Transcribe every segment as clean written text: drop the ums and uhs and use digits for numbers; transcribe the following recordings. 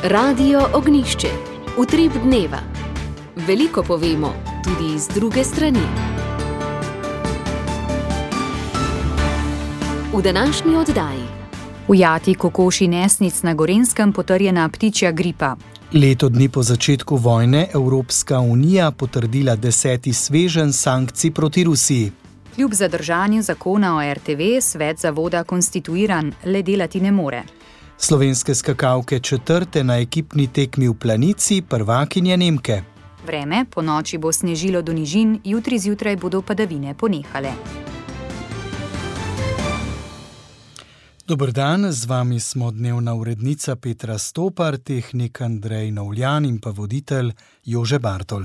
Radio Ognišče, utrip dneva. Veliko povemo, tudi z druge strani. V današnji oddaji. Ujati kokoši nesnic na Gorenjskem, potrjena ptičja gripa. Leto dni po začetku vojne Evropska unija potrdila 10. sveženj sankcij proti Rusiji. Kljub zadržanju zakona o RTV svet zavoda konstituiran, le delati ne more. Slovenske skakalke četrte na ekipni tekmi v Planici, prvakinje Nemke. Vreme, po noči bo snežilo do nižin, jutri zjutraj bodo padavine ponehale. Dober dan, z vami smo dnevna urednica Petra Stopar, tehnik Andrej Novljan in pa voditelj Jože Bartol.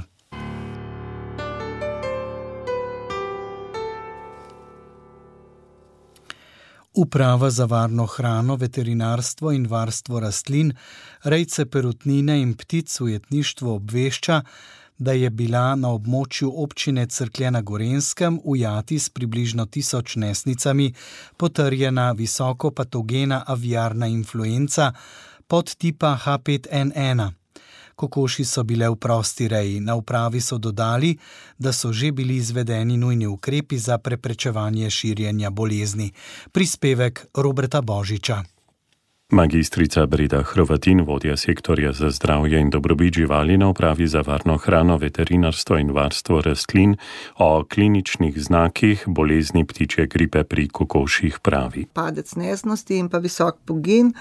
Uprava za varno hrano, veterinarstvo in varstvo rastlin, rejce perutnine in ptic v jetništvu obvešča, da je bila na območju občine Cerklje na Gorenjskem ujati s približno 1000 nesnicami potrjena visokopatogena aviarna influenca podtipa H5N1. Kokoši so bile v prosti reji. Na upravi so dodali, da so že bili izvedeni nujni ukrepi za preprečevanje širjenja bolezni. Prispevek Roberta Božiča. Magistrica Breda Hrvatin, vodja sektorja za zdravje in dobrobit živali na upravi za varno hrano, veterinarstvo in varstvo rastlin, o kliničnih znakih bolezni ptičje gripe pri kokoših pravi. Padec nesnosti in pa visok pogin,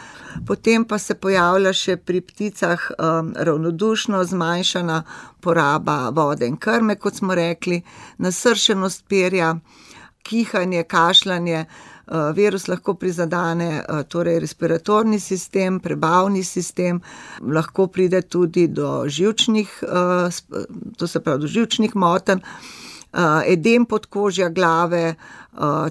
potem pa se pojavlja še pri pticah ravnodušno zmanjšana poraba vode in krme, kot smo rekli, nasršenost perja, kihanje, kašljanje. Virus lahko prizadane torej respiratorni sistem, prebavni sistem, lahko pride tudi do živčnih, do živčnih motenj, edem podkožja glave,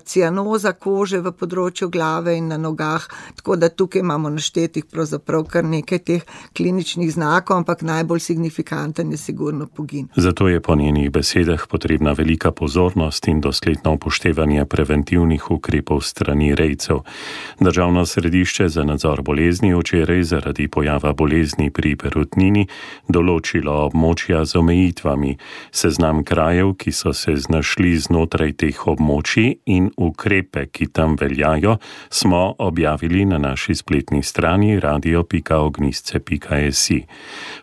cianoza kože v področju glave in na nogah, tako da tukaj imamo naštetih pravzaprav kar nekaj teh kliničnih znakov, ampak najbolj signifikanten je sigurno pogin. Zato je po njenih besedah potrebna velika pozornost in dosledno upoštevanje preventivnih ukrepov strani rejcev. Državno središče za nadzor bolezni včeraj zaradi pojava bolezni pri perutnini določilo območja z omejitvami. Seznam krajev, ki so se znašli znotraj teh območij, in ukrepe, ki tam veljajo, smo objavili na naši spletni strani radio.ognisce.si.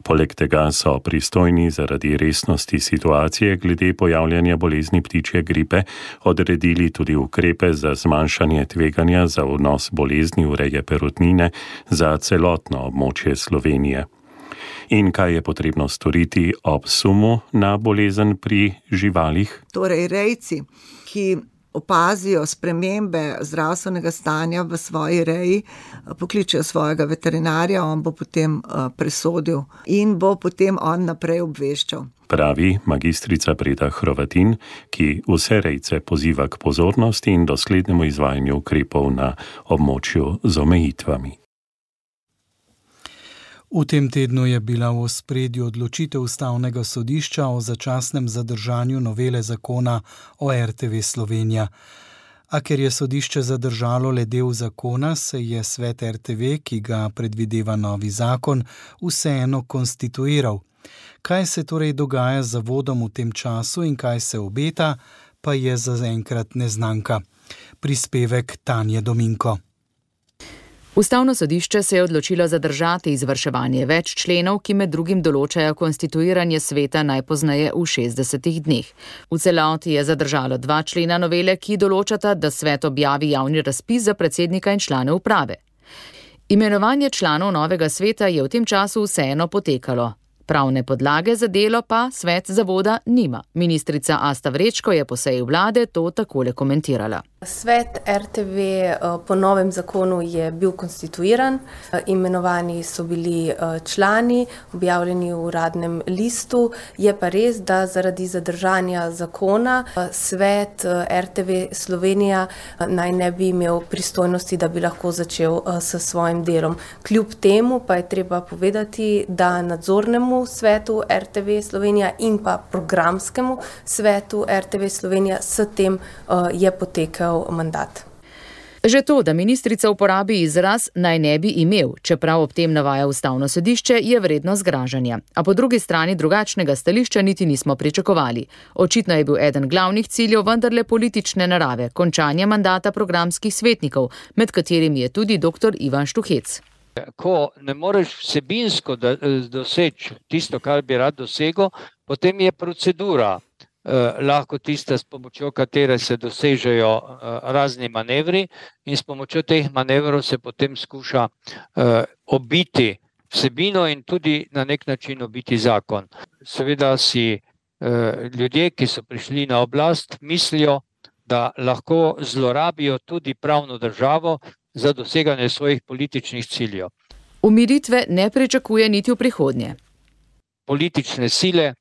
Poleg tega so pristojni zaradi resnosti situacije glede pojavljanja bolezni ptičje gripe odredili tudi ukrepe za zmanjšanje tveganja za vnos bolezni v reje perutnine za celotno območje Slovenije. In kaj je potrebno storiti ob sumu na bolezen pri živalih? Torej, rejci, ki opazijo spremembe zdravstvenega stanja v svoji reji, pokličejo svojega veterinarja, on bo potem presodil in bo potem on naprej obveščal. Pravi magistrica Breda Hrvatin, ki vse rejce poziva k pozornosti in doslednemu izvajanju ukrepov na območju z omejitvami. V tem tednu je bila v ospredju odločitev Ustavnega sodišča o začasnem zadržanju novele zakona o RTV Slovenija. A ker je sodišče zadržalo le del zakona, se je svet RTV, ki ga predvideva novi zakon, vseeno konstituiral. Kaj se torej dogaja z zavodom v tem času in kaj se obeta, pa je zaenkrat neznanka. Prispevek Tanje Dominko. Ustavno sodišče se je odločilo zadržati izvrševanje več členov, ki med drugim določajo konstituiranje sveta najpozneje v 60 dneh. V celoti je zadržalo 2 člena novele, ki določata, da svet objavi javni razpis za predsednika in člane uprave. Imenovanje članov novega sveta je v tem času vseeno potekalo. Pravne podlage za delo pa svet zavoda nima. Ministrica Asta Vrečko je po seji vlade to takole komentirala. Svet RTV po novem zakonu je bil konstituiran, imenovani so bili člani, objavljeni v uradnem listu. Je pa res, da zaradi zadržanja zakona svet RTV Slovenija naj ne bi imel pristojnosti, da bi lahko začel s svojim delom. Kljub temu pa je treba povedati, da nadzornemu svetu RTV Slovenija in pa programskemu svetu RTV Slovenija s tem je potekel mandat. Že to, da ministrica uporabi izraz naj ne bi imel, čeprav ob tem navaja Ustavno sodišče, je vredno zgražanja. A po drugi strani drugačnega stališča niti nismo pričakovali. Očitno je bil eden glavnih ciljev vendarle politične narave, končanje mandata programskih svetnikov, med katerimi je tudi dr. Ivan Štuhec. Ko ne moreš vsebinsko doseči tisto, kar bi rad dosegel, potem je procedura lahko tista, s pomočjo katere se dosežejo razni manevri in s pomočjo teh manevrov se potem skuša obiti vsebino in tudi na nek način obiti zakon. Seveda si ljudje, ki so prišli na oblast, mislijo, da lahko zlorabijo tudi pravno državo za doseganje svojih političnih ciljev. Umiritve ne pričakuje niti v prihodnje. Politične sile,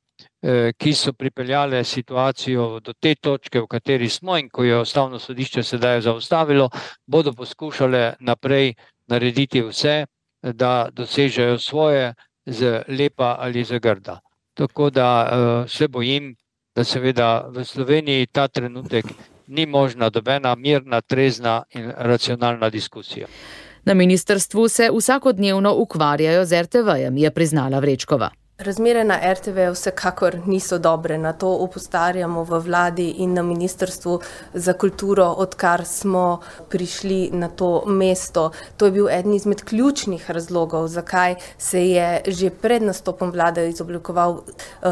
ki so pripeljale situacijo do te točke, v kateri smo in ko je Ustavno sodišče sedaj zaustavilo, bodo poskušale naprej narediti vse, da dosežejo svoje z lepa ali z grda. Tako da se bojim, da seveda v Sloveniji ta trenutek ni možna dobena mirna, trezna in racionalna diskusija. Na ministrstvu se vsakodnevno ukvarjajo z RTV-jem, je priznala Vrečkova. Razmere na RTV vsekakor niso dobre, na to opozarjamo v vladi in na Ministrstvu za kulturo, odkar smo prišli na to mesto. To je bil eden izmed ključnih razlogov, zakaj se je že pred nastopom vlade izoblikoval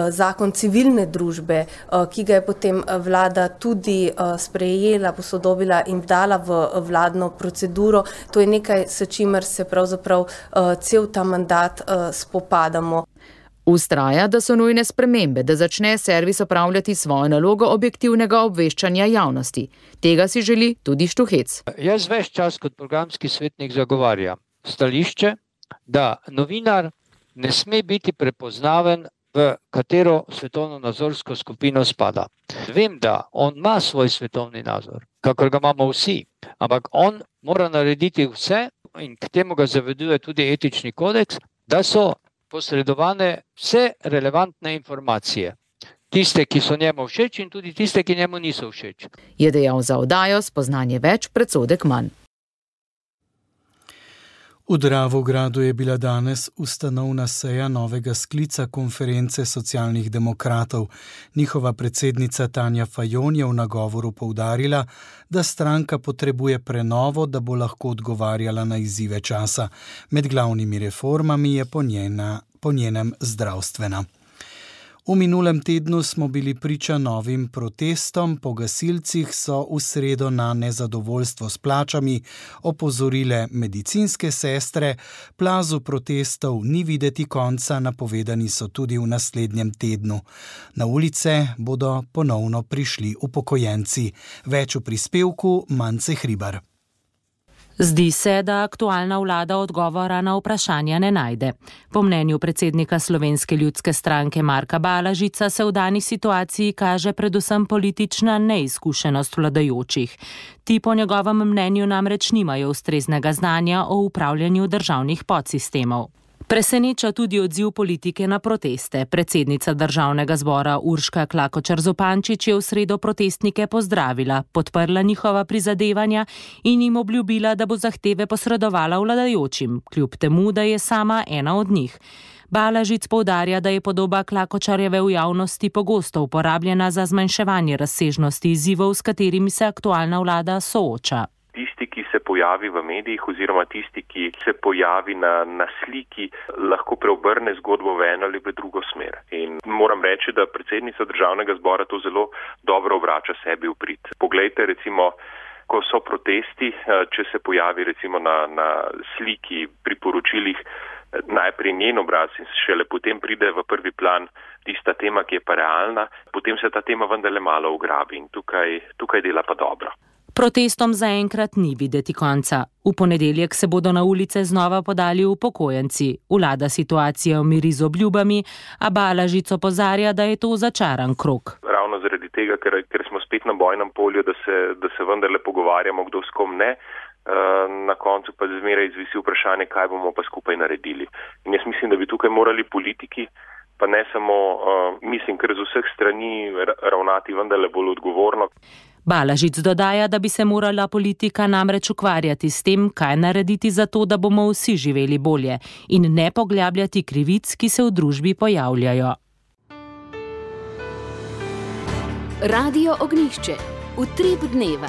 zakon civilne družbe, ki ga je potem vlada tudi sprejela, posodobila in dala v vladno proceduro. To je nekaj, s čimer se pravzaprav cel ta mandat spopadamo. Ustraja, da so nujne spremembe, da začne servis opravljati svojo nalogo objektivnega obveščanja javnosti. Tega si želi tudi Štuhec. Jaz ves čas kot programski svetnik zagovarjam stališče, da novinar ne sme biti prepoznaven, v katero svetovno-nazorsko skupino spada. Vem, da on ima svoj svetovni nazor, kakor ga imamo vsi, ampak on mora narediti vse, in k temu ga zaveduje tudi etični kodeks, da so posredovane vse relevantne informacije. Tiste, ki so njemu všeč in tudi tiste, ki njemu niso všeč. Je dejal za oddajo Spoznanje več, predsodek manj. V Dravogradu je bila danes ustanovna seja novega sklica konference socialnih demokratov. Njihova predsednica Tanja Fajon je v nagovoru poudarila, da stranka potrebuje prenovo, da bo lahko odgovarjala na izzive časa. Med glavnimi reformami je po njenem zdravstvena. V minulem tednu smo bili priča novim protestom. Po gasilcih so v sredo na nezadovoljstvo s plačami opozorile medicinske sestre. Plazu protestov ni videti konca, napovedani so tudi v naslednjem tednu. Na ulice bodo ponovno prišli upokojenci. Več v prispevku Mance Hribar. Zdi se, da aktualna vlada odgovora na vprašanja ne najde. Po mnenju predsednika Slovenske ljudske stranke Marka Balažica se v dani situaciji kaže predvsem politična neizkušenost vladajočih. Ti po njegovem mnenju namreč nimajo ustreznega znanja o upravljanju državnih podsistemov. Preseneča tudi odziv politike na proteste. Predsednica Državnega zbora Urška Klakočar Zupančič je v sredo protestnike pozdravila, podprla njihova prizadevanja in jim obljubila, da bo zahteve posredovala vladajočim, kljub temu, da je sama ena od njih. Balažic poudarja, da je podoba Klakočarjeve v javnosti pogosto uporabljena za zmanjševanje razsežnosti izzivov, s katerimi se aktualna vlada sooča. Tisti, ki se pojavi v medijih oziroma tisti, ki se pojavi na sliki, lahko preobrne zgodbo v eno ali v drugo smer. In moram reči, da predsednica Državnega zbora to zelo dobro obrača sebi v prid. Poglejte, recimo, ko so protesti, če se pojavi recimo na sliki pri poročilih najprej njen obraz in šele potem pride v prvi plan tista tema, ki je pa realna, potem se ta tema vendarle malo ugrabi in tukaj dela pa dobro. Protestom zaenkrat ni videti konca. V ponedeljek se bodo na ulice znova podali upokojenci. Vlada situacijo miri z obljubami, a Balažic opozarja, da je to začaran krog. Ravno zaradi tega, ker smo spet na bojnem polju, da se vendarle pogovarjamo, kdo s kom ne, na koncu pa zmeraj izvisi vprašanje, kaj bomo pa skupaj naredili. In jaz mislim, da bi tukaj morali politiki, pa ne samo, mislim, ker z vseh strani ravnati vendarle bolj odgovorno. Balažič dodaja, da bi se morala politika namreč ukvarjati s tem, kaj narediti za to, da bomo vsi živeli bolje in ne poglabljati krivic, ki se v družbi pojavljajo. Radio Ognjišče. Utrip dneva.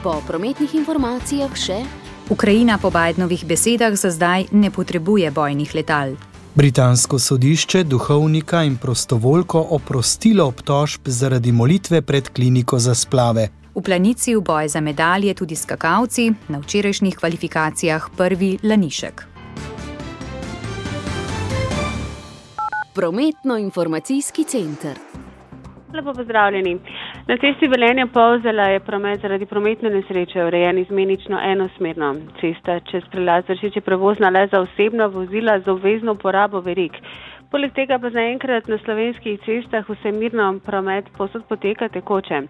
Po prometnih informacijah še: Ukrajina po Bidenovih besedah za zdaj ne potrebuje bojnih letal. Britansko sodišče duhovnika in prostovoljko oprostilo obtožb zaradi molitve pred kliniko za splave. V planici v boj za medalje tudi skakalci, na včerajšnjih kvalifikacijah prvi Lanišek. Prometno-informacijski center. Lepo pozdravljeni. Na cesti Velenje-Polzela je promet zaradi prometne nesreče urejen izmenično enosmerno. Cesta čez prelaz Vršič je prevozna le za osebna vozila z obvezno uporabo verig. Poleg tega pa zaenkrat na slovenskih cestah vse mirno, promet povsod poteka tekoče.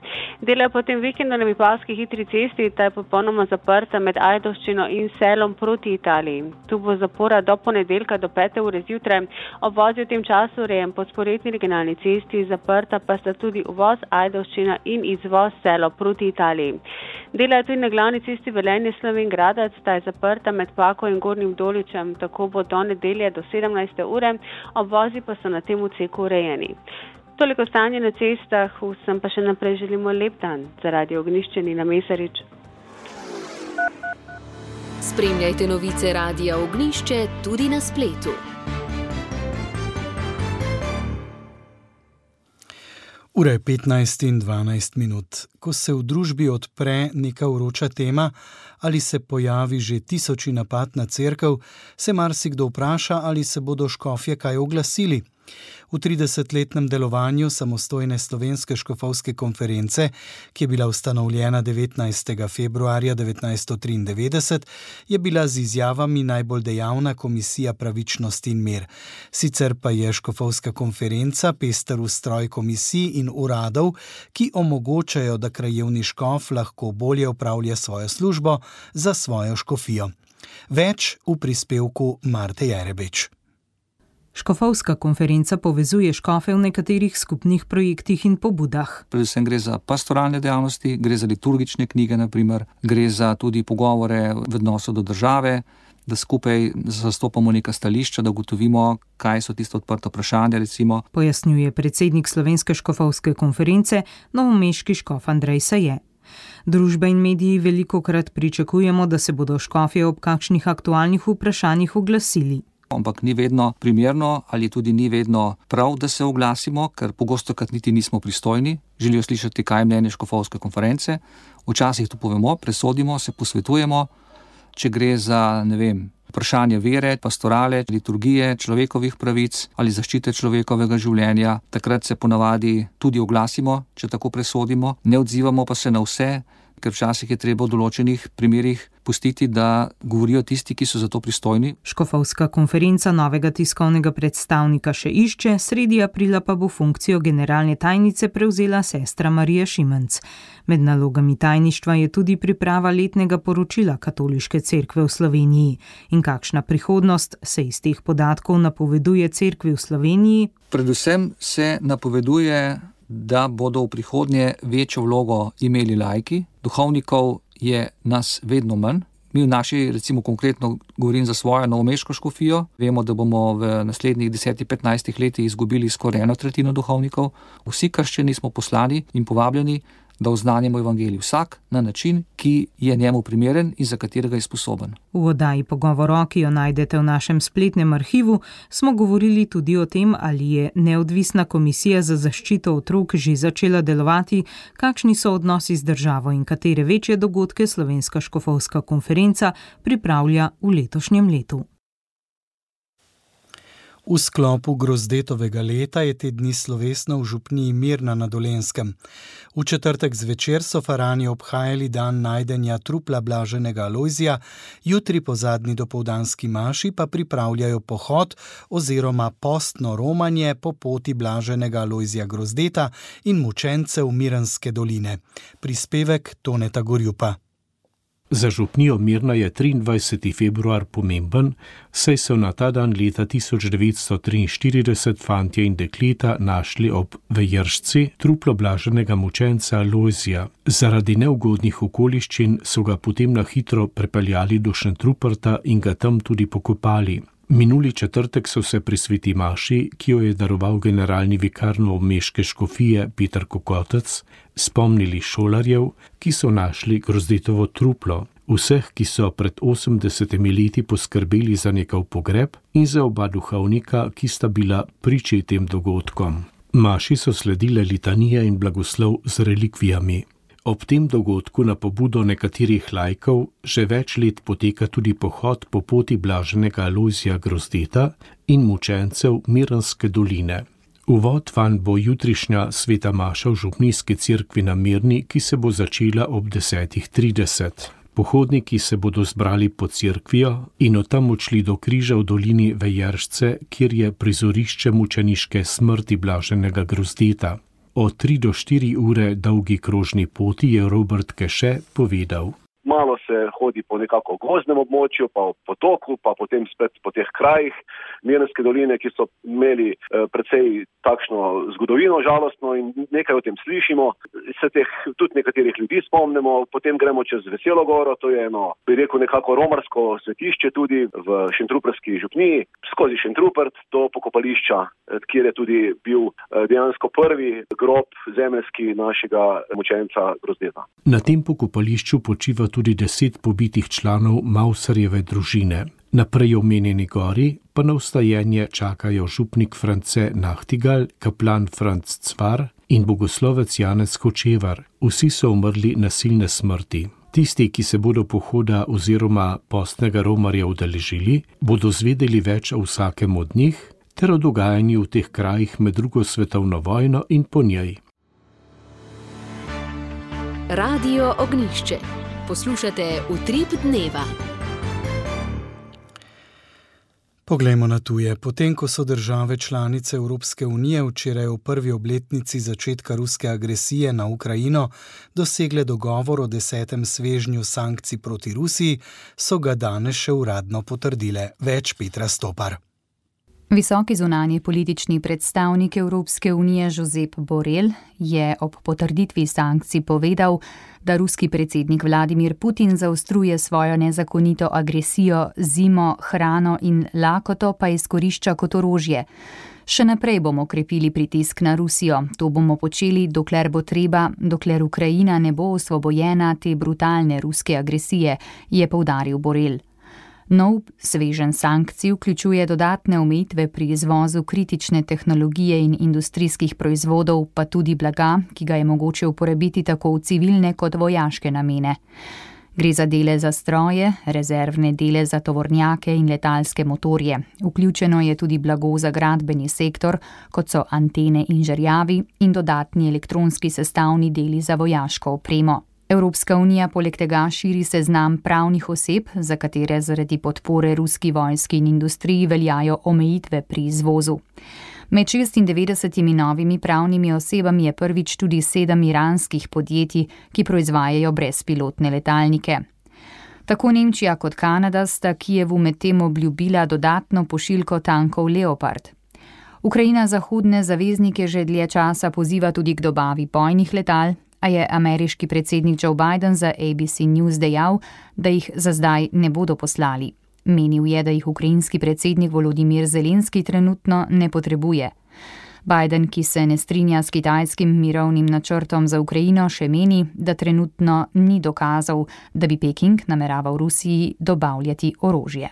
Dela potem vikendu na Vipavski hitri cesti, ta je popolnoma zaprta med Ajdovščino in Selom proti Italiji. Tu bo zapora do ponedeljka do 5. ure zjutraj. Obvoz je v tem času urejen po sporedni regionalni cesti, zaprta pa sta tudi uvoz Ajdovščina in izvoz Selo proti Italiji. Dela je tudi na glavni cesti Velenje-Slovenj-Gradec, ta je zaprta med Pako in Gornjim Doličem, tako bo do nedelje do 17. ure. Obvozi pa so na tem odseku urejeni. Toliko stanje na cestah, vsem pa še naprej želimo lep dan. Za Radio Ognjišče Nina Mesarič. Spremljajte novice Radia Ognjišče tudi na spletu. Ura je 15 in 12 minut. Ko se v družbi odpre neka vroča tema ali se pojavi že tisoči napad na cerkev, se marsikdo vpraša, ali se bodo škofje kaj oglasili. V 30-letnem delovanju samostojne slovenske škofovske konference, ki je bila ustanovljena 19. februarja 1993, je bila z izjavami najbolj dejavna Komisija pravičnosti in mir. Sicer pa je škofovska konferenca pester ustroj komisij in uradov, ki omogočajo, da krajevni škof lahko bolje opravlja svojo službo za svojo škofijo. Več v prispevku Marte Jerebič. Škofovska konferenca povezuje škofe v nekaterih skupnih projektih in pobudah. Predvsem gre za pastoralne dejavnosti, gre za liturgične knjige, naprimer, gre za tudi pogovore v odnosu do države, da skupaj zastopamo neka stališča, da ugotovimo, kaj so tiste odprte vprašanja, recimo. Pojasnjuje predsednik Slovenske škofovske konference, novomeški škof Andrej Saje. Družba in mediji velikokrat pričakujemo, da se bodo škofje ob kakšnih aktualnih vprašanjih oglasili. Ampak ni vedno primerno ali tudi ni vedno prav, da se oglasimo, ker pogostokrat niti nismo pristojni, želijo slišati, kaj je mnenje škofovske konference. Včasih to povemo, presodimo, se posvetujemo, če gre za, vprašanje vere, pastorale, liturgije, človekovih pravic ali zaščite človekovega življenja. Takrat se ponavadi tudi oglasimo, če tako presodimo, ne odzivamo pa se na vse, ker včasih je treba v določenih primerih pustiti, da govorijo tisti, ki so za to pristojni. Škofovska konferenca novega tiskovnega predstavnika še išče, sredi aprila pa bo funkcijo generalne tajnice prevzela sestra Marija Šimenc. Med nalogami tajništva je tudi priprava letnega poročila Katoliške cerkve v Sloveniji. In kakšna prihodnost se iz teh podatkov napoveduje cerkvi v Sloveniji? Predvsem se napoveduje, da bodo v prihodnje večjo vlogo imeli laiki. Duhovnikov je nas vedno manj. Mi v naši, recimo konkretno govorim za svojo novomeško škofijo, vemo, da bomo v naslednjih 10-15 letih izgubili skoraj 1/3 duhovnikov. Vsi krščani smo poslani in povabljeni, da oznanjamo evangelij vsak na način, ki je njemu primeren in za katerega je sposoben. V oddaji Pogovor, ki jo najdete v našem spletnem arhivu, smo govorili tudi o tem, ali je neodvisna komisija za zaščito otrok že začela delovati, kakšni so odnosi z državo in katere večje dogodke Slovenska škofovska konferenca pripravlja v letošnjem letu. V sklopu Grozdetovega leta je te dni slovesno v župniji Mirna na Dolenjskem. V četrtek zvečer so farani obhajali dan najdenja trupla blaženega Alojzija, jutri po zadnji dopoldanski maši pa pripravljajo pohod oziroma postno romanje po poti blaženega Alojzija Grozdeta in mučencev Mirenske doline. Prispevek Toneta Gorjupa. Za župnijo Mirna je 23. februar pomemben, saj so na ta dan leta 1943 fantje in dekleta našli ob Vejršci truplo blaženega mučenca Lojzija. Zaradi neugodnih okoliščin so ga potem na hitro prepeljali do Šentruperta in ga tam tudi pokopali. Minuli četrtek so se pri sveti maši, ki jo je daroval generalni vikar novomeške škofije Peter Kokotec, spomnili šolarjev, ki so našli Grozdetovo truplo, vseh, ki so pred 80 leti poskrbeli za njegov pogreb in za oba duhovnika, ki sta bila priče tem dogodkom. Maši so sledile litanije in blagoslov z relikvijami. Ob tem dogodku na pobudo nekaterih laikov že več let poteka tudi pohod po poti blaženega Lojzija Grozdeta in mučencev Mirnske doline. Uvod vanj bo jutrišnja sveta maša v župnijski cerkvi na Mirni, ki se bo začela ob 10:30. Pohodniki se bodo zbrali pod cerkvijo in od tam odšli do križa v dolini Vejršce, kjer je prizorišče mučeniške smrti blaženega Grozdeta. O 3 do 4 ure dolgi krožni poti je Robert Keše povedal. Malo se hodi po nekako gozdnem območju, pa po potoku, pa potem spet po teh krajih Mirnske doline, ki so imeli precej takšno zgodovino žalostno in nekaj o tem slišimo. Se teh tudi nekaterih ljudi spomnimo, potem gremo čez Veselo goro, to je eno, bi rekel, nekako romarsko svetišče tudi v Šentrupertski župniji, skozi Šentrupert do pokopališča, kjer je tudi bil dejansko prvi grob zemeljski našega mučenca Grozdeta. Na tem pokopališču počiva tudi 10 pobitih članov Mausarjeve družine. Na prej omenjeni gori pa na vstajenje čakajo župnik France Nachtigal, kaplan Franc Cvar in bogoslovec Janez Hočevar. Vsi so umrli nasilne smrti. Tisti, ki se bodo pohoda oziroma postnega romarja udeležili, bodo zvedeli več o vsakem od njih ter o dogajanju v teh krajih med drugo svetovno vojno in po njej. Radio Ognjišče. Poslušate Utrip dneva. Poglejmo na tuje. Potem, ko so države članice Evropske unije včeraj v prvi obletnici začetka ruske agresije na Ukrajino dosegle dogovor o 10. svežnju sankcij proti Rusiji, so ga danes še uradno potrdile. Več Petra Stopar. Visoki zunanji politični predstavnik Evropske unije Josep Borrell je ob potrditvi sankcij povedal, da ruski predsednik Vladimir Putin zaostruje svojo nezakonito agresijo, zimo, hrano in lakoto pa izkorišča kot orožje. Še naprej bomo krepili pritisk na Rusijo. To bomo počeli, dokler bo treba, dokler Ukrajina ne bo osvobojena te brutalne ruske agresije, je poudaril Borrell. Nov sveženj sankcij vključuje dodatne omejitve pri izvozu kritične tehnologije in industrijskih proizvodov, pa tudi blaga, ki ga je mogoče uporabiti tako v civilne kot vojaške namene. Gre za dele za stroje, rezervne dele za tovornjake in letalske motorje. Vključeno je tudi blago za gradbeni sektor, kot so antene in žerjavi in dodatni elektronski sestavni deli za vojaško opremo. Evropska unija poleg tega širi seznam pravnih oseb, za katere zaradi podpore ruski vojski in industriji veljajo omejitve pri izvozu. Med 96 novimi pravnimi osebami je prvič tudi 7 iranskih podjetij, ki proizvajajo brezpilotne letalnike. Tako Nemčija kot Kanada sta Kijevu medtem obljubila dodatno pošiljko tankov Leopard. Ukrajina zahodne zaveznike že dlje časa poziva tudi k dobavi bojnih letal, a je ameriški predsednik Joe Biden za ABC News dejal, da jih za zdaj ne bodo poslali. Menil je, da jih ukrajinski predsednik Volodimir Zelenski trenutno ne potrebuje. Biden, ki se ne strinja s kitajskim mirovnim načrtom za Ukrajino, še meni, da trenutno ni dokazal, da bi Peking nameraval Rusiji dobavljati orožje.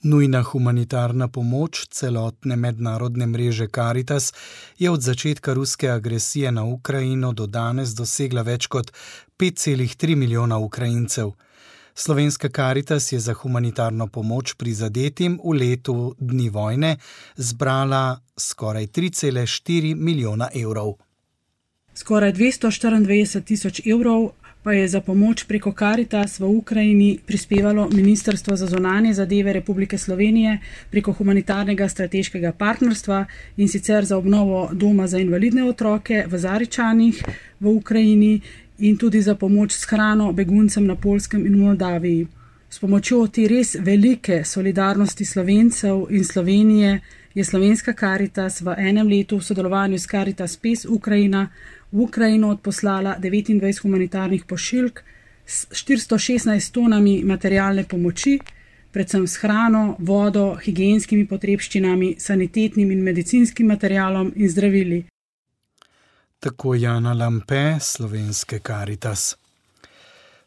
Nujna humanitarna pomoč celotne mednarodne mreže Caritas je od začetka ruske agresije na Ukrajino do danes dosegla več kot 5,3 milijona Ukrajincev. Slovenska Caritas je za humanitarno pomoč prizadetim v letu dni vojne zbrala skoraj 3,4 milijona evrov. Skoraj 294 tisoč evrov pa je za pomoč preko Caritas v Ukrajini prispevalo Ministrstvo za zunanje zadeve Republike Slovenije preko humanitarnega strateškega partnerstva, in sicer za obnovo doma za invalidne otroke v Zaričanih v Ukrajini in tudi za pomoč s hrano beguncem na Poljskem in v Moldaviji. S pomočjo te res velike solidarnosti Slovencev in Slovenije je Slovenska Karitas v enem letu v sodelovanju s Karitas PES Ukrajina v Ukrajino odposlala 29 humanitarnih pošiljk s 416 tonami materialne pomoči, predvsem s hrano, vodo, higienskimi potrebščinami, sanitetnim in medicinskim materialom in zdravili. Tako Jana Lampe, Slovenske Karitas.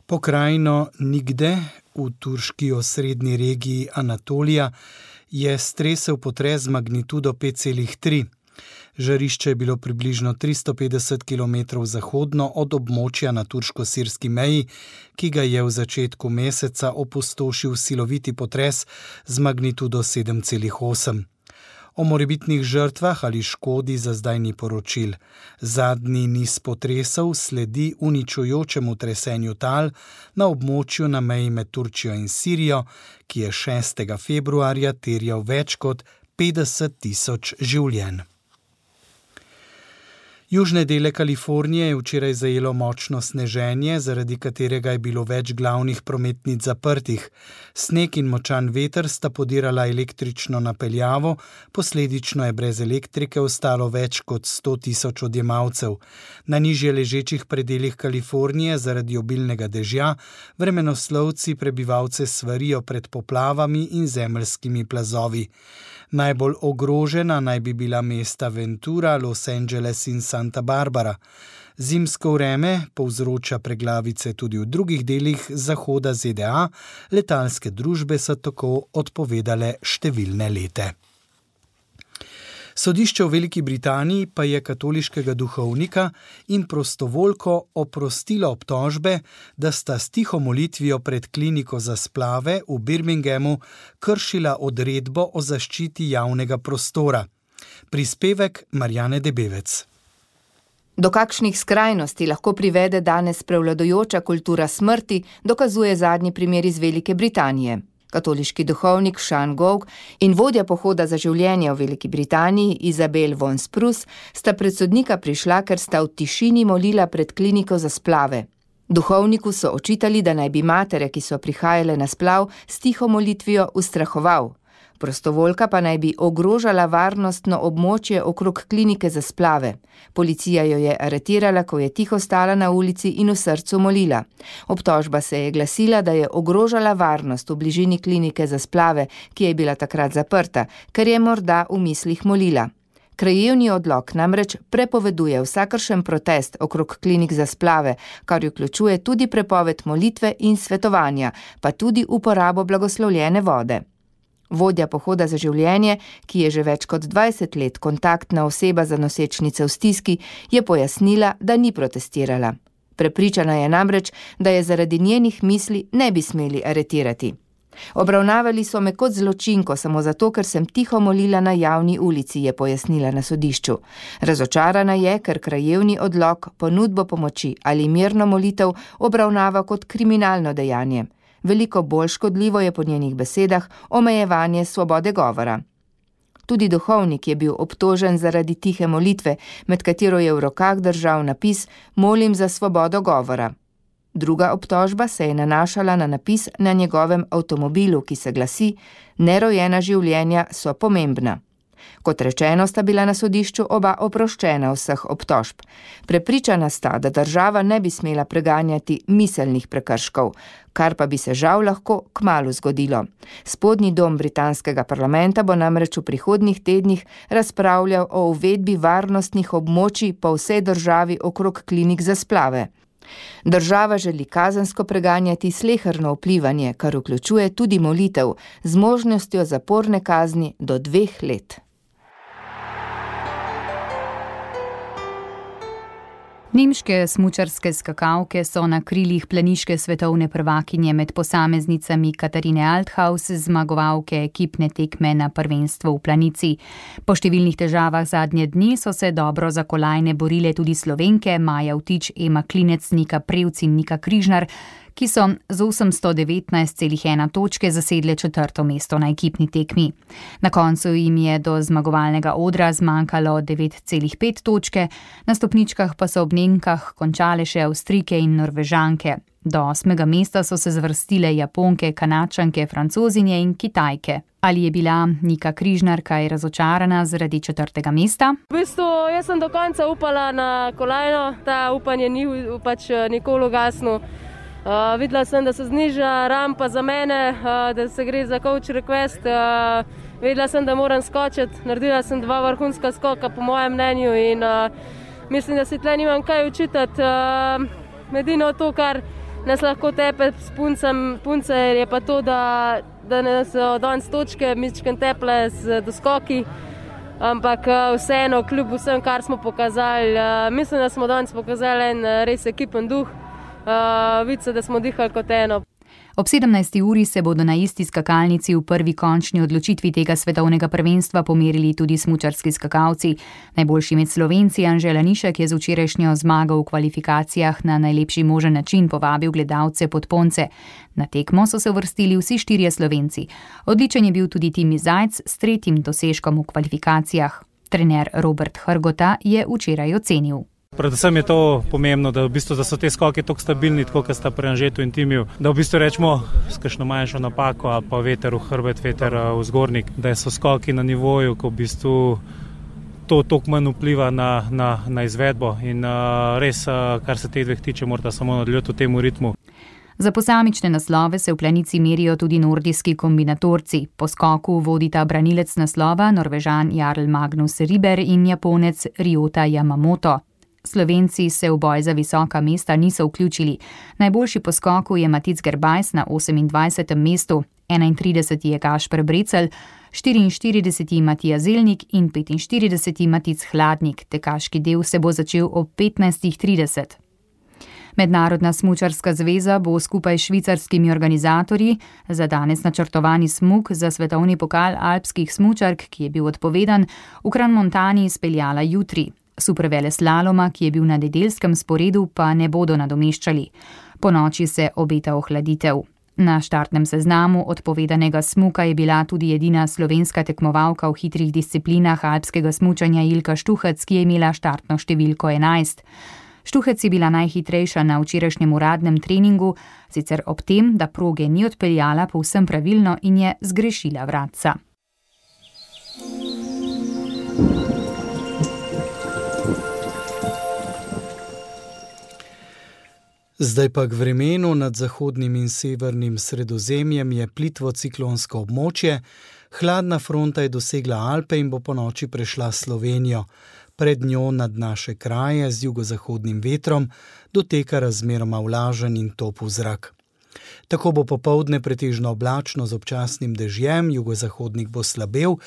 Pokrajino Nigde v turški osrednji regiji Anatolija je stresel potres z magnitudo 5,3. Žarišče je bilo približno 350 km zahodno od območja na turško-sirski meji, ki ga je v začetku meseca opustošil siloviti potres z magnitudo 7,8. O morebitnih žrtvah ali škodi za zdaj ni poročil. Zadnji niz potresov sledi uničujočemu tresenju tal na območju na meji med Turčijo in Sirijo, ki je 6. februarja terjal več kot 50.000 življenj. Južne dele Kalifornije je včeraj zajelo močno sneženje, zaradi katerega je bilo več glavnih prometnic zaprtih. Sneg in močan veter sta podirala električno napeljavo, posledično je brez elektrike ostalo več kot 100.000 odjemalcev. Na nižje ležečih predelih Kalifornije zaradi obilnega dežja vremenoslovci prebivalce svarijo pred poplavami in zemeljskimi plazovi. Najbolj ogrožena naj bi bila mesta Ventura, Los Angeles in Santa Barbara. Zimsko vreme povzroča preglavice tudi v drugih delih zahoda ZDA, letalske družbe so tako odpovedale številne lete. Sodišče v Veliki Britaniji pa je katoliškega duhovnika in prostovoljko oprostilo obtožbe, da sta s tiho molitvijo pred kliniko za splave v Birminghamu kršila odredbo o zaščiti javnega prostora. Prispevek Marjane Debevec. Do kakšnih skrajnosti lahko privede danes prevladujoča kultura smrti, dokazuje zadnji primer iz Velike Britanije. Katoliški duhovnik Sean Gough in vodja pohoda za življenje v Veliki Britaniji Isabel von Spruce sta pred sodnika prišla, ker sta v tišini molila pred kliniko za splave. Duhovniku so očitali, da naj bi matere, ki so prihajale na splav, s tiho molitvijo ustrahoval. Prostovoljka pa naj bi ogrožala varnostno območje okrog klinike za splave. Policija jo je aretirala, ko je tiho stala na ulici in v srcu molila. Obtožba se je glasila, da je ogrožala varnost v bližini klinike za splave, ki je bila takrat zaprta, ker je morda v mislih molila. Krajevni odlok namreč prepoveduje vsakršen protest okrog klinik za splave, kar vključuje tudi prepoved molitve in svetovanja, pa tudi uporabo blagoslovljene vode. Vodja pohoda za življenje, ki je že več kot 20 let kontaktna oseba za nosečnice v stiski, je pojasnila, da ni protestirala. Prepričana je namreč, da je zaradi njenih misli ne bi smeli aretirati. Obravnavali so me kot zločinko samo zato, ker sem tiho molila na javni ulici, je pojasnila na sodišču. Razočarana je, ker krajevni odlok ponudbo pomoči ali mirno molitev obravnava kot kriminalno dejanje. Veliko bolj škodljivo je po njenih besedah omejevanje svobode govora. Tudi duhovnik je bil obtožen zaradi tihe molitve, med katero je v rokah držal napis "Molim za svobodo govora". Druga obtožba se je nanašala na napis na njegovem avtomobilu, ki se glasi "Nerojena življenja so pomembna". Kot rečeno, sta bila na sodišču oba oproščena vseh obtožb. Prepričana sta, da država ne bi smela preganjati miselnih prekrškov, kar pa bi se žal lahko kmalu zgodilo. Spodnji dom britanskega parlamenta bo namreč v prihodnjih tednih razpravljal o uvedbi varnostnih območij po vsej državi okrog klinik za splave. Država želi kazensko preganjati sleherno vplivanje, kar vključuje tudi molitev, z možnostjo zaporne kazni do 2 let. Nemške smučarske skakalke so na krilih planiške svetovne prvakinje med posameznicami Katarine Althaus, zmagovalke ekipne tekme na prvenstvu v planici. Po številnih težavah zadnje dni so se dobro za kolajne borile tudi Slovenke Maja Vtič, Ema Klinec, Nika Prevc in Nika Križnar, ki so z 819,1 točke zasedle 4. mesto na ekipni tekmi. Na koncu jim je do zmagovalnega odra zmanjkalo 9,5 točke, na stopničkah pa so ob Nemkah končale še Avstrijke in Norvežanke. Do 8. mesta so se zvrstile Japonke, Kanadčanke, Francozinje in Kitajke. Ali je bila Nika Križnar kaj razočarana zaradi 4. mesta? V bistvu, jaz sem do konca upala na kolajno, ta upanje ni nikoli ugasnilo. Videla sem, da se zniža rampa za mene, da se gre za coach request. Vedela sem, da moram skočiti. Naredila sem 2 vrhunska skoka, po mojem mnenju, in mislim, da si tle nimam kaj učitati. Edino to, kar nas lahko tepe s punce, je pa to, da nas danes točke mičken teple z doskoki, ampak vseeno, kljub vsem, kar smo pokazali, mislim, da smo danes pokazali en res ekipen duh, vidi se, da smo dihali kot eno. Ob 17. uri se bodo na isti skakalnici v prvi končni odločitvi tega svetovnega prvenstva pomerili tudi smučarski skakalci. Najboljši med Slovenci Anže Lanišek je z včerajšnjo zmago v kvalifikacijah na najlepši možen način povabil gledalce pod ponce. Na tekmo so se uvrstili vsi 4 Slovenci. Odličen je bil tudi Timi Zajc s 3. dosežkom v kvalifikacijah. Trener Robert Hrgota je včeraj ocenil. Predvsem je to pomembno, da so te skoki tako stabilni, tako kot sta pri Anžetu in Timiju, da v bistvu rečemo s kakšno manjšo napako ali pa veter v hrbet, veter v zgornjik, da so skoki na nivoju, ko v bistvu to toliko manj vpliva na izvedbo in res, kar se teh 2 tiče, morata samo nadaljevati v tem ritmu. Za posamične naslove se v planici merijo tudi nordijski kombinatorci. Po skoku vodita branilec naslova Norvežan Jarl Magnus Riber in Japonec Ryota Yamamoto. Slovenci se v boj za visoka mesta niso vključili. Najboljši po skoku je Matic Gerbajs na 28. mestu, 31. je Gašper Brecelj, 44. Matija Zelnik in 45. Matic Hladnik. Tekaški del se bo začel ob 15.30. Mednarodna smučarska zveza bo skupaj s švicarskimi organizatorji za danes načrtovani smuk za svetovni pokal alpskih smučark, ki je bil odpovedan, v Crans-Montani izpeljala jutri. Superveleslaloma, ki je bil na nedeljskem sporedu, pa ne bodo nadomeščali. Po noči se obeta ohladitev. Na štartnem seznamu odpovedanega smuka je bila tudi edina slovenska tekmovalka v hitrih disciplinah alpskega smučanja Ilka Štuhec, ki je imela štartno številko 11. Štuhec je bila najhitrejša na včerajšnjem uradnem treningu, sicer ob tem, da proge ni odpeljala povsem pravilno in je zgrešila vratca. Zdaj pa k vremenu. Nad zahodnim in severnim Sredozemljem je plitvo ciklonsko območje. Hladna fronta je dosegla Alpe in bo ponoči prešla Slovenijo. Pred njo nad naše kraje z jugozahodnim vetrom doteka razmeroma vlažen in topel zrak. Tako bo popoldne pretežno oblačno z občasnim dežjem, jugozahodnik bo slabel,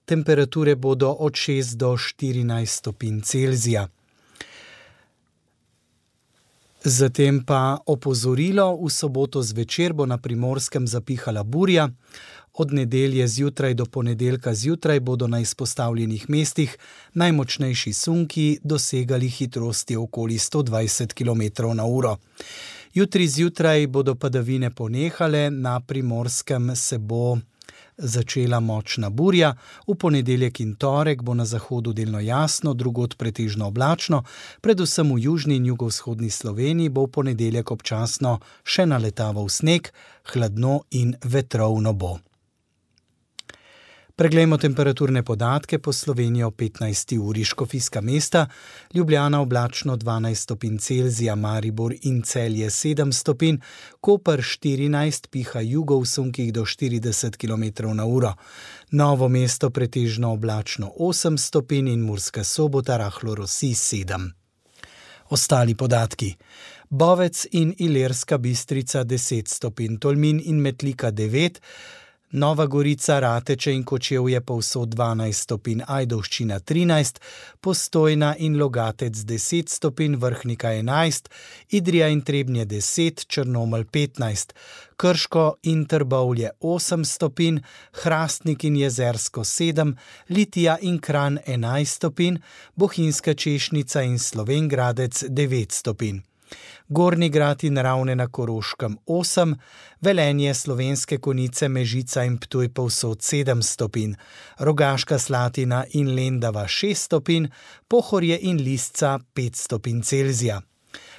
temperature bodo od 6 do 14 stopinj Celzija. Zatem pa opozorilo, v soboto zvečer bo na Primorskem zapihala burja. Od nedelje zjutraj do ponedeljka zjutraj bodo na izpostavljenih mestih najmočnejši sunki dosegali hitrosti okoli 120 km/h. Jutri zjutraj bodo padavine ponehale, na Primorskem se bo začela močna burja, v ponedeljek in torek bo na zahodu delno jasno, drugod pretežno oblačno, predvsem v južni in jugovzhodni Sloveniji bo v ponedeljek občasno še naletaval sneg, hladno in vetrovno bo. Preglejmo temperaturne podatke po Sloveniji o 15. uri. Škofijska Mesta, Ljubljana oblačno 12 stopinj Celzija, Maribor in Celje 7 stopinj, Koper 14, piha jugo v sunkih do 40 km/h. Novo Mesto pretežno oblačno 8 stopinj in Murska Sobota rahlo rosi 7. Ostali podatki. Bovec in Ilirska Bistrica 10 stopinj, Tolmin in Metlika 9, Nova Gorica, Rateče in Kočevje povsod 12 stopinj, Ajdovščina 13, Postojna in Logatec 10 stopinj, Vrhnika 11, Idrija in Trebnje 10, Črnomelj 15, Krško in Trbovlje 8 stopinj, Hrastnik in Jezersko 7, Litija in Kranj 11 stopinj, Bohinjska Češnica in Slovenj Gradec 9 stopinj. Gornji Grad in Ravne na Koroškem 8, Velenje, Slovenske Konjice, Mežica in Ptuj povsod 7 stopinj, Rogaška Slatina in Lendava 6 stopinj, Pohorje in Lisca 5 stopinj Celzija.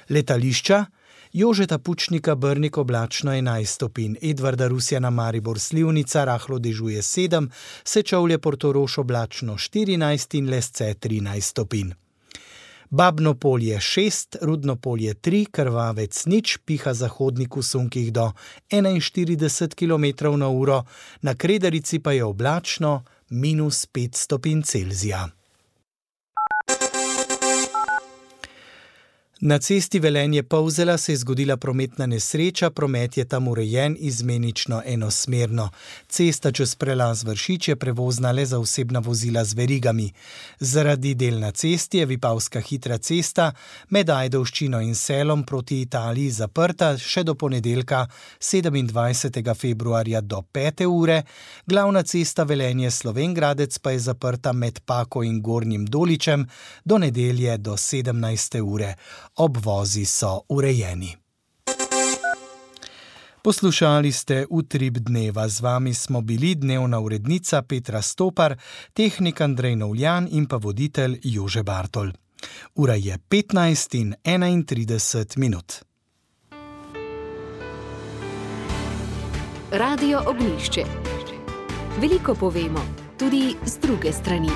Letališča: Jožeta Pučnika Brnik oblačno 11 stopinj, Edvarda Rusjana Maribor Slivnica rahlo dežuje 7, Sečovlje Portorož oblačno 14 in Lesce 13 stopinj. Babno Polje 6, Rudno Polje 3, Krvavec 0, piha zahodnik v sunkih do 41 km/h, na Kredarici pa je oblačno -5 stopinj Celzija. Na cesti Velenje-Polzela se je zgodila prometna nesreča, promet je tam urejen izmenično enosmerno. Cesta čez prelaz Vršič je prevozna le za osebna vozila z verigami. Zaradi del na cesti je Vipavska hitra cesta med Ajdovščino in Selom proti Italiji zaprta še do ponedeljka 27. februarja do 5. ure, glavna cesta Velenje-Slovenj Gradec pa je zaprta med Pako in Gornjim Doličem do nedelje do 17. ure. Obvozi so urejeni. Poslušali ste Utrip dneva, z vami smo bili dnevna urednica Petra Stopar, tehnik Andrej Novljan in pa voditelj Jože Bartol. Ura je 15:31. Radio Ognjišče. Veliko povemo, tudi z druge strani.